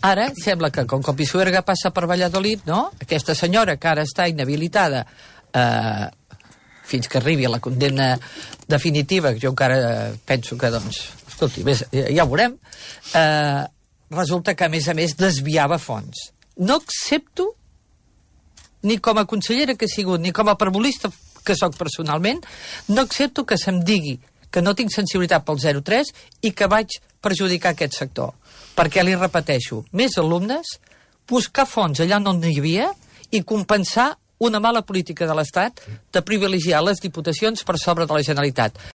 Ara sembla que, com que el Pisuerga passa per Valladolid, no? Aquesta senyora que ara està inhabilitada fins que arribi a la condemna definitiva, que jo encara penso que, doncs, escolti, ja ho veurem, resulta que, a més, desviava fons. No accepto, ni com a consellera que he sigut, ni com a parvulista que sóc personalment, no accepto que se'm digui que no tinc sensibilitat pel 03 i que vaig perjudicar aquest sector. Perquè, li repeteixo, més alumnes, buscar fons allà on n'hi havia i compensar una mala política de l'Estat de privilegiar les diputacions per sobre de la Generalitat.